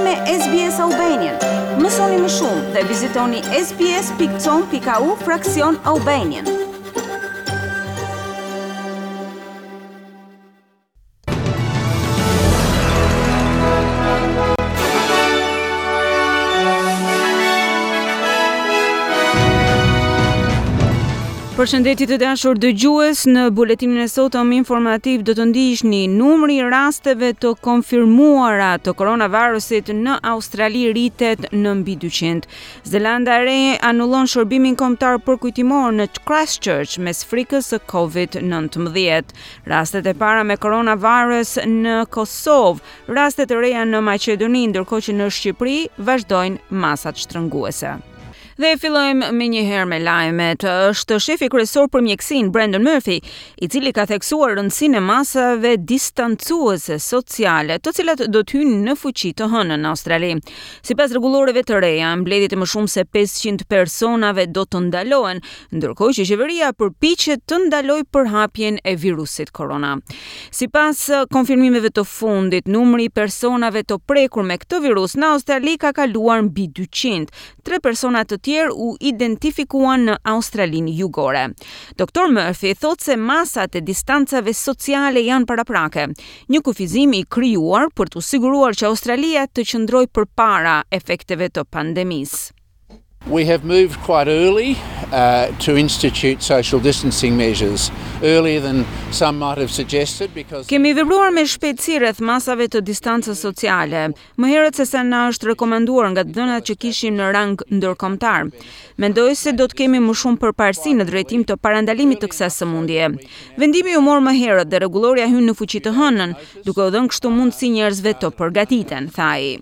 me SBS Albanian. Mësoni më shumë dhe vizitoni sbs.com.au fraksion Albanian. Përshëndetje të dashur dëgjues, në buletinin e sotëm informativ do të ndiqni numri i rasteve të konfirmuara të koronavirusit në Australi rritet në mbi 200. Zelanda e Re anullon shërbimin kombëtar përkujtimor në Christchurch mes frikës së COVID-19. Rastet e para me koronavirus në Kosovë, raste të reja në Maqedoni, ndërkohë që në Shqipëri vazhdojnë masat shtrënguese. Dhe fillojmë menjëherë me lajmet. Është shefi kryesor për mjekësinë Brendan Murphy, i cili ka theksuar rëndësinë e masave distancuese sociale, të cilat do të hyjnë në fuqi të hënën në Australi. Sipas rregulloreve të reja, mbledhjet e më shumë se 500 personave do të ndalohen, ndërkohë që qeveria përpiqet të ndalojë përhapjen e virusit korona. Sipas konfirmimeve të fundit, numri i personave të prekur me këtë virus në Australi ka kaluar mbi 200. Tre persona të tjerë u identifikuan në Australinë Jugore. Doktor Murphy thotë se masat e distancave sociale janë paraprake, një kufizim i krijuar për t'u siguruar që Australia të qëndrojë përpara efekteve të pandemisë. We have moved quite early uh, to institute social distancing measures, earlier than some might have suggested because Kemi vepruar me shpejtësi rreth masave të distancës sociale, më herët se sa na është rekomanduar nga të dhënat që kishim në rang ndërkombëtar. Mendoj se do të kemi më shumë përparësi në drejtim të parandalimit të kësaj sëmundjeje. Vendimi u mor më herët dhe rregullorja hyn në fuqi të hënën, duke u dhënë kështu mundësi njerëzve të përgatiten, tha ai.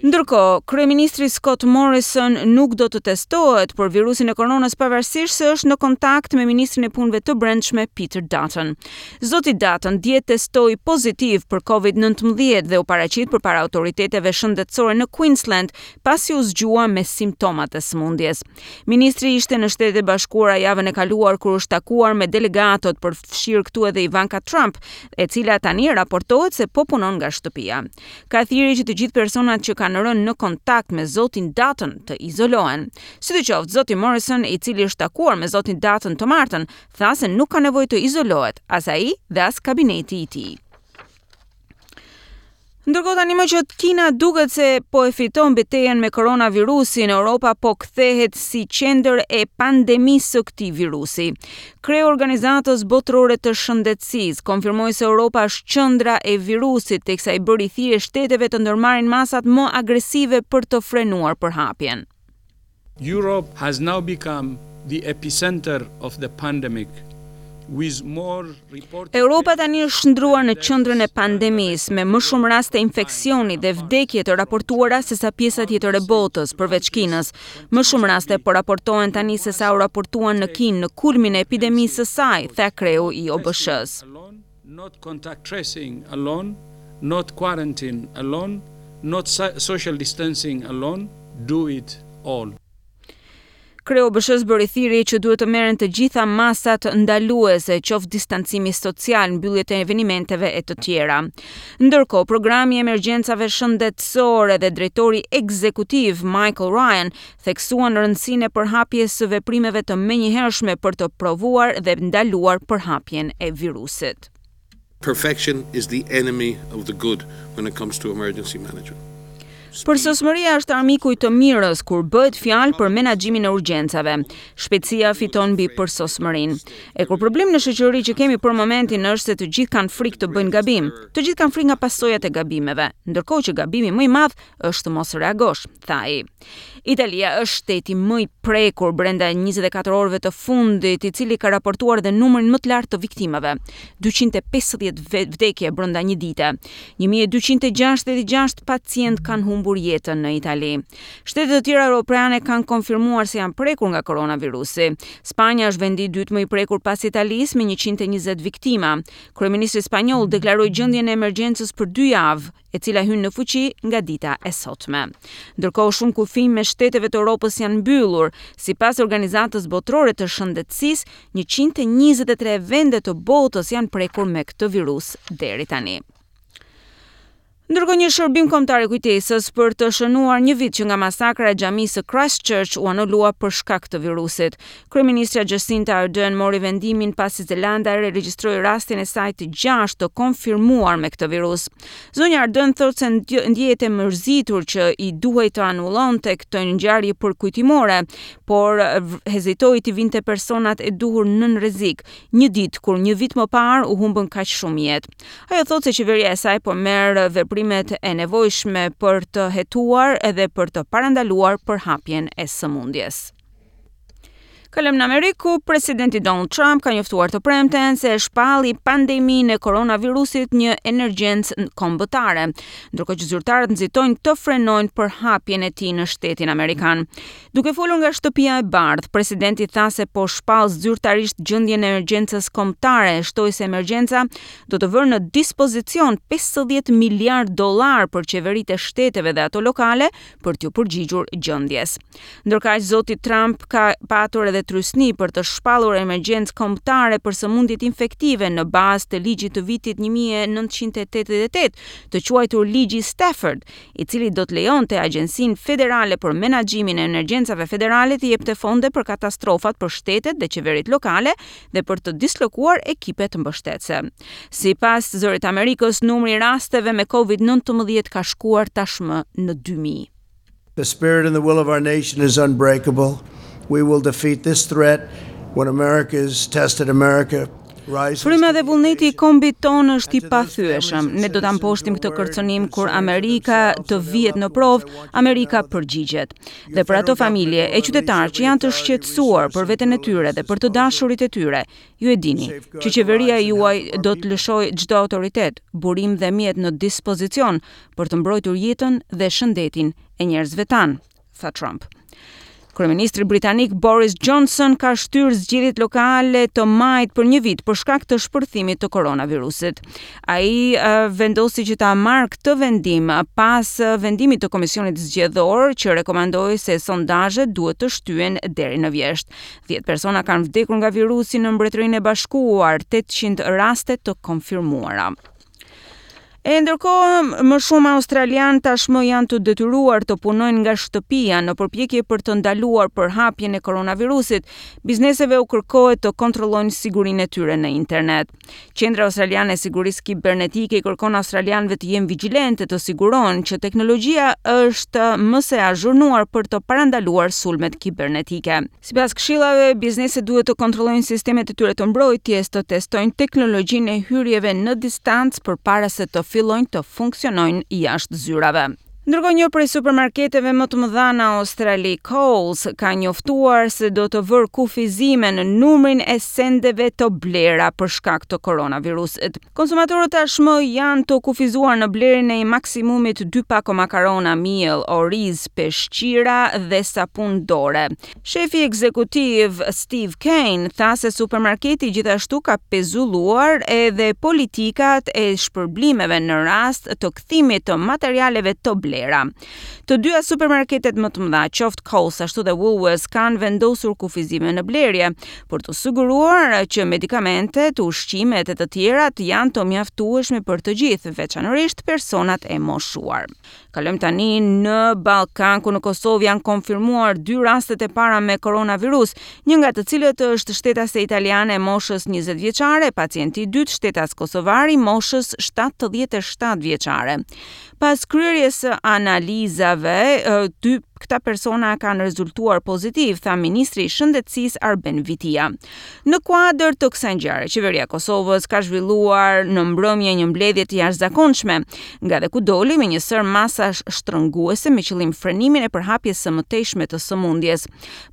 Ndërkohë, kryeministri Scott Morrison nuk do të testohet për virusin e koronës pavarësisht se është në kontakt me ministrin e Punëve të Brendshme Peter Dutton. Zoti Dutton dje testoi pozitiv për Covid-19 dhe u paraqit përpara autoriteteve shëndetësore në Queensland pasi u zgjua me simptomat e sëmundjes. Ministri ishte në Shtetet e Bashkuara javën e kaluar kur është takuar me delegatët, përfshirë këtu edhe Ivanka Trump, e cila tani raportohet se po punon nga shtëpia. Ka thirrje që të gjithë personat që kanë rënë në kontakt me zotin Dutton të izolohen. Sidoqoftë, zoti Morrison, i cili është takuar me zotin Dutton të martën, tha se nuk ka nevojë të izolohet, as ai dhe as kabineti i tij. Ndërkohë tani më që Kina duket se po e fiton betejën me koronavirusin, Europa po kthehet si qendër e pandemisë së këtij virusi. Kreu i Organizatës Botërore të Shëndetësisë konfirmoi se Europa është qendra e virusit, teksa i bëri thirrje shteteve të ndërmarrin masat më agresive për të frenuar përhapjen. Europe has now become the epicenter of the pandemic with more reported Europa tani është shndërruar në qendrën e pandemisë, me më shumë raste infeksioni dhe vdekje të raportuara sesa pjesa tjetër e botës, përveç Kinës. Më shumë raste po raportohen tani sesa u raportuan në Kinë në kulmin e epidemisë së saj, tha kreu i OBSH-së. Not contact tracing alone, not quarantine alone, not social distancing alone, do it all. Kreu i OBSH-së bëri thirrje që duhet të merren të gjitha masat ndaluese, qoftë distancimi social, mbylljet e evenimenteve e të tjera. Ndërkohë, programi i emergjencave shëndetësore dhe drejtori ekzekutiv Michael Ryan theksuan rëndësinë e përhapjes së veprimeve të menjëhershme për të provuar dhe ndaluar përhapjen e virusit. Perfection is the enemy of the good when it comes to emergency management. Përsosmëria është armiku i të mirës kur bëhet fjalë për menaxhimin e urgjencave. Shpejtësia fiton mbi përsosmërinë. E kur problemi në shoqëri që kemi për momentin është se të gjithë kanë frikë të bëjnë gabim. Të gjithë kanë frikë nga pasojat e gabimeve, ndërkohë që gabimi më i madh është të mos reagosh, tha ai. Italia është shteti më i prekur brenda 24 orëve të fundit, i cili ka raportuar dhe numrin më të lartë të viktimave, 250 vdekje brenda një dite. 1266 pacientë kanë humbur jetën në Itali. Shtete të tjera europiane kanë konfirmuar se janë prekur nga koronavirusi. Spanja është vendi i dytë më i prekur pas Italisë me 120 viktima. Kryeministri spanjoll deklaroi gjendjen e emergjencës për dy javë, e cila hyn në fuqi nga dita e sotme. Ndërkohë shumë kufinj mes shteteve të Europës janë mbyllur. Sipas Organizatës Botërore të Shëndetësisë, 123 vende të botës janë prekur me këtë virus deri tani. Ndërkohë një shërbim kombëtar i kujtesës për të shënuar një vit që nga masakra e xhamisë së Christchurch u anulua për shkak të virusit. Kryeministrja Jacinda Ardern mori vendimin pasi Zelanda e Re regjistroi rastin e saj të gjashtë të konfirmuar me këtë virus. Zonja Ardern thotë se ndjehet e mërzitur që i duhej të anullonte këtë ngjarje përkujtimore, por hezitoi t'i vinte personat e duhur nën rrezik, një ditë kur një vit më parë u humbën kaq shumë jetë. Ajo thotë se qeveria e saj po merr veprimet e nevojshme për të hetuar edhe për të parandaluar përhapjen e sëmundjes. Kalojmë në Amerikë, ku presidenti Donald Trump ka njoftuar të premten se e shpalli pandeminë e koronavirusit një emergjencë kombëtare, ndërkohë që zyrtarët nxitojnë të frenojnë përhapjen e tij në shtetin amerikan. Duke folur nga Shtëpia e Bardhë, presidenti tha se po shpall zyrtarisht gjendjen e emergjencës kombëtare, shtoi se emergjenca do të vërë në dispozicion 50 miliardë dollarë për qeveritë e shteteve dhe ato lokale për t'iu përgjigjur gjendjes. Ndërkaq, zoti Trump ka patur edhe trysni për të shpallur emergjencë kombëtare për sëmundjet infektive në bazë të ligjit të vitit 1988, të quajtur Ligji Stafford, i cili do të lejonte Agjencinë Federale për Menaxhimin e Emergjencave Federale të jepte fonde për katastrofat për shtetet dhe qeveritë lokale dhe për të dislokuar ekipet mbështetëse. Sipas Zërit të Amerikës, numri i rasteve me Covid-19 ka shkuar tashmë në 2000. The spirit and the will of our nation is unbreakable. We will defeat this threat when America is tested. America Fryma dhe vullneti i kombit tonë është i pathyeshëm. Ne do ta mposhtim këtë kërcënim kur Amerika të vihet në provë, Amerika përgjigjet. Dhe për ato familje e qytetarë që janë të shqetësuar për veten e tyre dhe për të dashurit e tyre, ju e dini që qeveria juaj do të lëshojë çdo autoritet, burim dhe mjet në dispozicion për të mbrojtur jetën dhe shëndetin e njerëzve tanë, tha Trump. Kryeministri britanik Boris Johnson ka shtyrë zgjedhjet lokale të majit për një vit për shkak të shpërthimit të koronavirusit. Ai vendosi që ta marrë këtë vendim pas vendimit të Komisionit Zgjedhor që rekomandoi se sondazhet duhet të shtyhen deri në vjeshtë. 10 persona kanë vdekur nga virusi në Mbretërinë e Bashkuar, 800 raste të konfirmuara. E ndërkohë, më shumë australianë tashmë janë të detyruar të punojnë nga shtëpia në përpjekje për të ndaluar përhapjen e koronavirusit. Bizneseve u kërkohet të kontrollojnë sigurinë e tyre në internet. Qendra Australiane e Sigurisë Kibernetike i kërkon australianëve të jenë vigjilentë të sigurohen që teknologjia është më se e azhurnuar për të parandaluar sulmet kibernetike. Sipas këshillave, bizneset duhet të kontrollojnë sistemet e tyre të mbrojtjes, të testojnë teknologjinë e hyrjeve në distancë përpara se të fillojnë të funksionojnë jashtë zyrave. Ndërkohë një prej supermarketeve më të mëdha në Australi, Coles, ka njoftuar se do të vërë kufizime në numrin e sendeve të blera për shkak të koronavirusit. Konsumatorët tashmë janë të kufizuar në blerjen e maksimumit dy pako makarona, miell, oriz, peshqira dhe sapun dore. Shefi ekzekutiv Steve Kane tha se supermarketi gjithashtu ka pezulluar edhe politikat e shpërblimeve në rast të kthimit të materialeve të blera. Të dyja supermarketet më të mëdha, qoftë Coles ashtu dhe Woolworths, kanë vendosur kufizime në blerje, për t'u siguruar që medikamentet, ushqimet e të tjerat janë të mjaftueshme për të gjithë, veçanërisht personat e moshuar. Kalojmë tani në Ballkan, ku në Kosovë janë konfirmuar dy rastet e para me koronavirus, një nga të cilët është shtetase italiane e moshës 20 vjeçare, pacienti i dytë shtetas kosovar i moshës 77 vjeçare. Pas kryerjes së analizave, dy këta persona kanë rezultuar pozitiv, tha ministri i Shëndetësisë Arben Vitia. Në kuadër të kësaj ngjarje, qeveria e Kosovës ka zhvilluar në mbrëmje një mbledhje të jashtëzakonshme, nga dhe ku doli me një sërë masash shtrënguese me qëllim frenimin e përhapjes së mëtejshme të sëmundjes.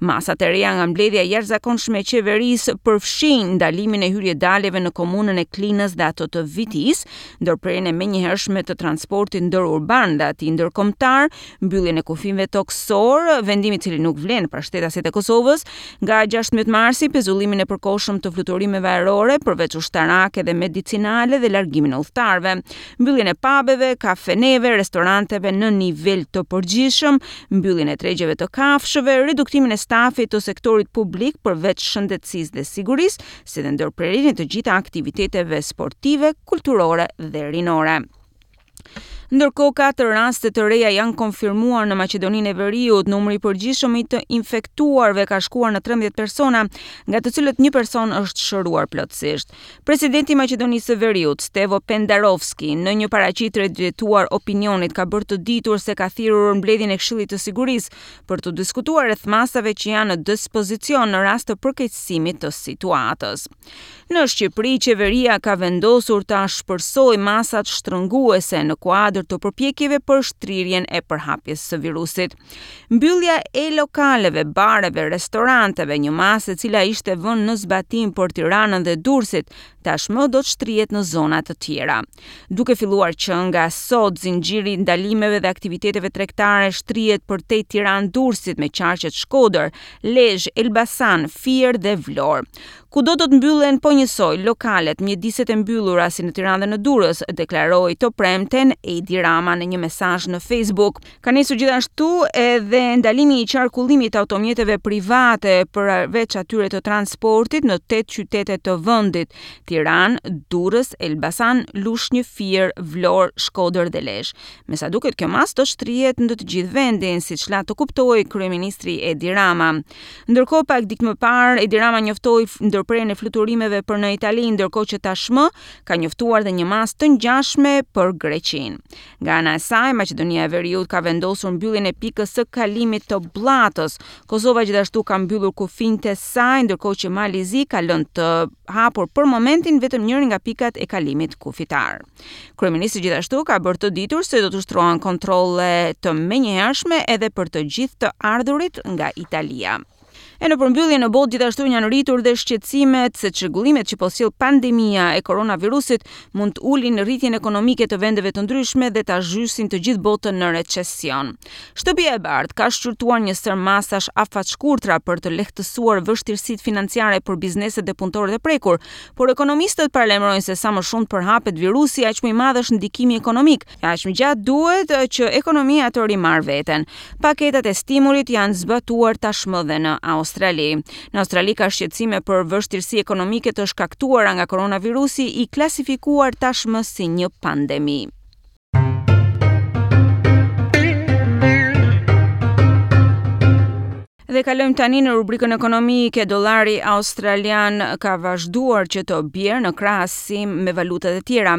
Masat e reja nga mbledhja e jashtëzakonshme e qeverisë përfshijnë ndalimin e hyrje-daljeve në komunën e Klinës dhe ato të Vitisë, ndërprerjen e menjëhershme të transportit ndërurban dhe atij ndërkombëtar, mbylljen e kufijve tokësorë, vendim i cili nuk vlen për shtetasit e Kosovës, nga 16 marsi pezullimin e përkohshëm të fluturimeve ajrore, përveç ushtarake dhe medicinale dhe largimin e udhëtarëve, mbylljen e pabeve, kafeneve, restoranteve në nivel të përgjithshëm, mbylljen e tregjeve të kafshëve, reduktimin e stafit të sektorit publik përveç shëndetësisë dhe sigurisë, si dhe ndërprerjen e të gjitha aktiviteteve sportive, kulturore dhe rinore. Ndërkohë katër raste të reja janë konfirmuar në Maqedoninë e Veriut. Numri i përgjithshëm i të infektuarve ka shkuar në 13 persona, nga të cilët një person është shëruar plotësisht. Presidenti i Maqedonisë së Veriut, Stevo Pendarovski, në një paraqitje drejtuar opinionit ka bërë të ditur se ka thirrur mbledhjen e Këshillit të Sigurisë për të diskutuar rreth masave që janë në dispozicion në rast të përkeqësimit të situatës. Në Shqipëri, qeveria ka vendosur të ashpërsojë masat shtrënguese në kuadër të përpjekjeve për shtrirjen e përhapjes së virusit. Mbyllja e lokaleve, bareve, restoranteve, një masë e cila ishte vënë në zbatim për Tiranën dhe Durrësit, tashmë do të shtrihet në zona të tjera. Duke filluar që nga sot, zinxhiri i ndalimeve dhe aktiviteteve tregtare shtrihet përtej Tiranë-Durrësit me qarqet Shkodër, Lezhë, Elbasan, Fier dhe Vlorë. Kudo do të mbyllen po njësoj lokalet, mjediset e mbyllura si në Tiranë dhe në Durrës, deklaroi të premten Edi Rama në një mesazh në Facebook. Ka nisur gjithashtu edhe ndalimi i qarkullimit të automjeteve private përveç atyre të transportit në 8 qytete të vendit, Tiranë, Durrës, Elbasan, Lushnjë, Fier, Vlorë, Shkodër dhe Lezhë. Me sa duket kjo masë do shtrihet në të gjithë vendin, siç la të kuptohej kryeministri Edi Rama. Ndërkohë pak ditë më parë Edi Rama njoftoi ndërprerjen e fluturimeve për në Itali, ndërkohë që tashmë ka njoftuar dhe një masë të ngjashme për Greqinë. Nga ana e saj, Maqedonia e Veriut ka vendosur mbylljen e pikës së kalimit të Bllatës. Kosova gjithashtu ka mbyllur kufinjtë e saj, ndërkohë që Mali i Zi ka lënë të hapur për momentin vetëm njërin nga pikat e kalimit kufitar. Kryeministri gjithashtu ka bërë të ditur se do të ushtrohen kontrolle të menjëhershme edhe për të gjithë të ardhurit nga Italia. E në përmbyllje në botë gjithashtu janë rritur dhe shqetësimet se çrregullimet që po sjell pandemia e koronavirusit mund të ulin rritjen ekonomike të vendeve të ndryshme dhe ta zhysin të gjithë botën në recesion. Shtëpia e Bardhë ka shqyrtuar një sërë masash afatshkurtra për të lehtësuar vështirësitë financiare për bizneset dhe punëtorët e prekur, Por ekonomistët paralajmërojnë se sa më shumë të përhapet virusi, aq më i madh është ndikimi ekonomik, e aq më gjatë duhet që ekonomia të rimarrë veten. Paketat e stimulit janë zbatuar tashmë dhe në Australi. Në Australi ka shqetësime për vështirësi ekonomike të shkaktuara nga koronavirusi i klasifikuar tashmë si një pandemi. Dhe kalojmë tani në rubrikën ekonomike. Dollari australian ka vazhduar që të bjerë në krahasim me valutat e tjera.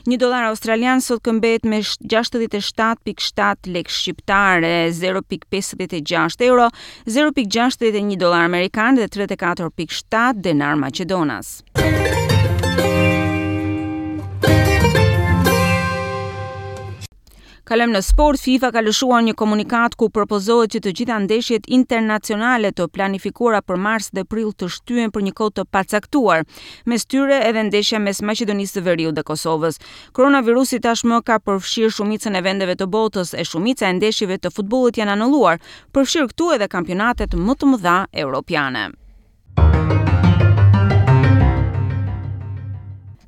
Një dollar australian sot këmbehet me 67.7 lekë shqiptare, 0.56 euro, 0.61 dollar amerikan dhe 34.7 denar maqedonas. Kalojmë në sport, FIFA ka lëshuar një komunikatë ku propozohet që të gjitha ndeshjet internacionale të planifikuara për mars dhe prill të shtyhen për një kohë të pacaktuar. Mes tyre edhe ndeshja mes Maqedonisë së Veriut dhe Kosovës. Koronavirusi tashmë ka përfshirë shumicën e vendeve të botës e shumica e ndeshjeve të futbollit janë anulluar, përfshirë këtu edhe kampionatet më të mëdha europiane.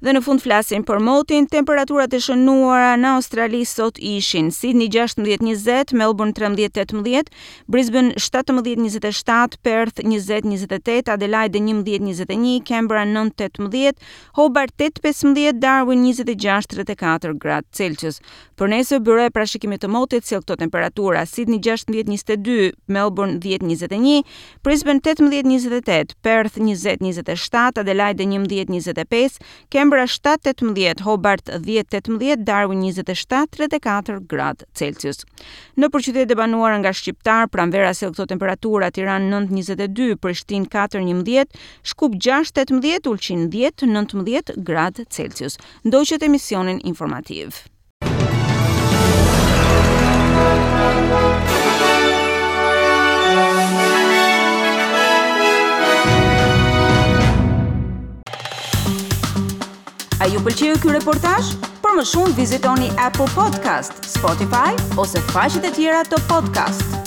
Dhe në fund flasim për motin, temperaturat e shënuara në Australi sot ishin Sydney 16-20, Melbourne 13-18, Brisbane 17-27, Perth 20-28, Adelaide 11-21, Canberra 9-18, Hobart 8-15, Darwin 26-34 gradë Celsius. Për nesër, byroja e parashikimit të motit sjell këto temperatura: Sydney 16-22, Melbourne 10-21, Brisbane 18-28, Perth 20-27, Adelaide 11-25, Canberra 7-18, Hobart 10-18, Darwin 27-34 gradë Celsius. Nëpër qytetet e banuara nga shqiptarë, pranvera sjell këto temperatura: Tiranë 9-22, Prishtinë 4-11, Shkup 6-18, Ulqin 10-19 gradë Celsius. Ndoqët emisionin informativ. A ju pëlqeu ky reportazh? Për më shumë vizitoni Apple Podcast, Spotify ose faqet e tjera të podcast.